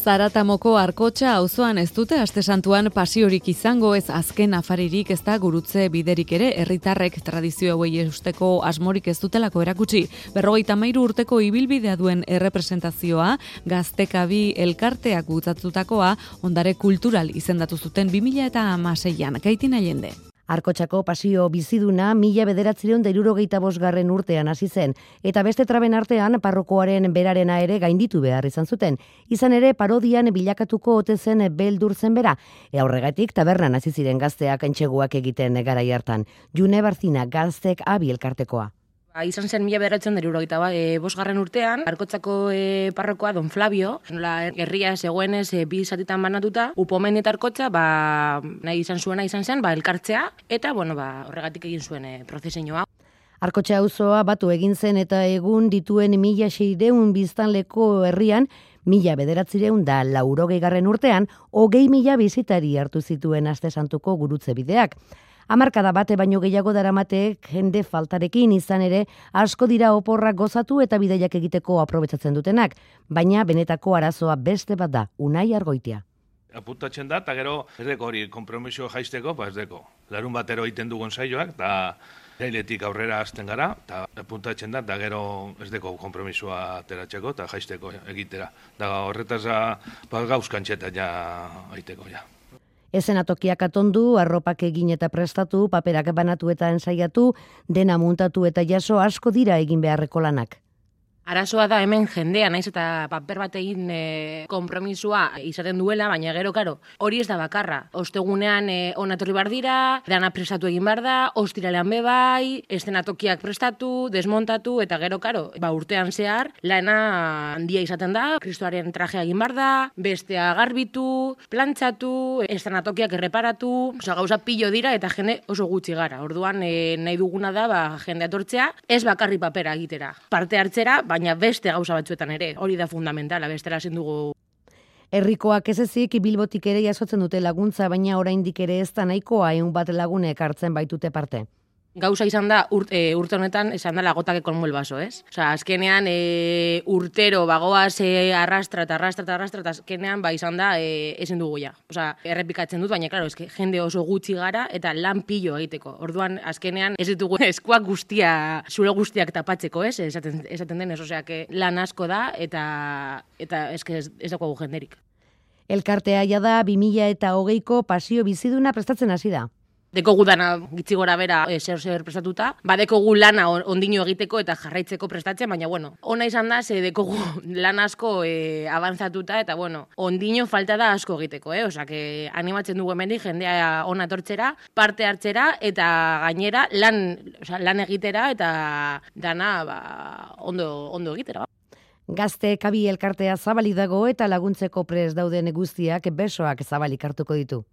Zaratamoko Arkotxa auzoan ez dute aste santuan pasiorik izango, ez azken afaririk, ez da gurutze biderik ere, herritarrek tradizio hauei eusteko asmorik ez dutelako erakutsi. 53 urteko ibilbidea duen errepresentazioa, Gaztekabi elkarteak bultzatutakoa, ondare kultural izendatu zuten 2016an, Kaitin Allende. Arkotxako pasio biziduna 1975 urtean hasi zen, eta beste traben artean parrokoaren berarena ere gainditu behar izan zuten. Izan ere parodian bilakatuko ote zen beldur zen bera, horregatik tabernan hasi ziren gazteak entxeguak egiten garai hartan. June Barzina, Gaztekabi elkartekoa. Izan zen 1975 urtean, Arkotxako parrokoa Don Flavio, nola herria zegoenez bi zatitan banatuta, Upomen eta Arkotxa nahi izan zen elkartzea, eta horregatik egin zuen prozesioa. Arkotxa auzoa batu egin zen eta egun dituen 1600 biztanleko herrian, 1980 urtean, 20.000 bizitari hartu zituen aste santuko gurutze bideak. Hamarkada bate baino gehiago daramatek jende faltarekin izan ere asko dira oporrak gozatu eta bidaiak egiteko aprobetsatzen dutenak, baina benetako arazoa beste bat da, Unai Argoitia. Apuntatzen da, eta gero ez deko hori konpromiso jaisteko, ez deko. Larun batero egiten dugun saioak, eta jailetik aurrera hasten gara, eta apuntatzen da, eta gero ez deko konpromisoa ateratzeko eta jaisteko egitera. Da horretaz gauzkantxeta ja aiteko ja. Ezenatokiak atondu, arropak egin eta prestatu, paperak banatu eta ensaiatu, dena muntatu eta jaso asko dira egin beharreko lanak. Arazoa da hemen jendea, naiz eta paper bat egin konpromisua izaten duela, baina gero, hori ez da bakarra. Ostegunean onatorri bar dira, dana prestatu egin bar da, ostiralean bebai, eszenatokiak prestatu, desmontatu, eta gero, urtean zehar, lana handia izaten da, kristoaren trajea egin bar da, bestea garbitu, plantxatu, eszenatokiak erreparatu, gauza pilo dira eta jende oso gutxi gara. Orduan nahi duguna da jende atortzea, ez bakarri papera egitera. Parte hartzera, baina beste gauza batzuetan ere, hori da fundamentala, bestela ezin dugu. Herrikoak ez ezik Bilbotik ere jasotzen dute laguntza, baina oraindik ere ez da nahikoa 100 bat lagunek hartzen baitute parte. Gauza izan da, urte honetan, esan da lagotake kolmo el baso, ez? Azkenean urtero bagoaz arrastra, azkenean izan da ezin dugu ja. Errepikatzen dut, baina, jende oso gutxi gara eta lan pilo egiteko. Orduan, azkenean ez ditugu eskuak zure guztiak tapatzeko, ez? Esaten denez, lan asko da eta ez dago jenderik. Elkartea da 2020ko pasio biziduna prestatzen hasi da. Dekogu dana gitzi gora bera zer prestatuta, dekogu lana ondino egiteko eta jarraitzeko prestatzen, baina ona izan da, dekogu lan asko avanzatuta eta ondino falta da asko egiteko, animatzen dugu hemendik jendea ona etortzera, parte hartzera eta gainera lan egitera eta dana ondo egitera. Gaztekabi elkartea zabalik dago eta laguntzeko prest dauden guztiak besoak zabalik hartuko ditu.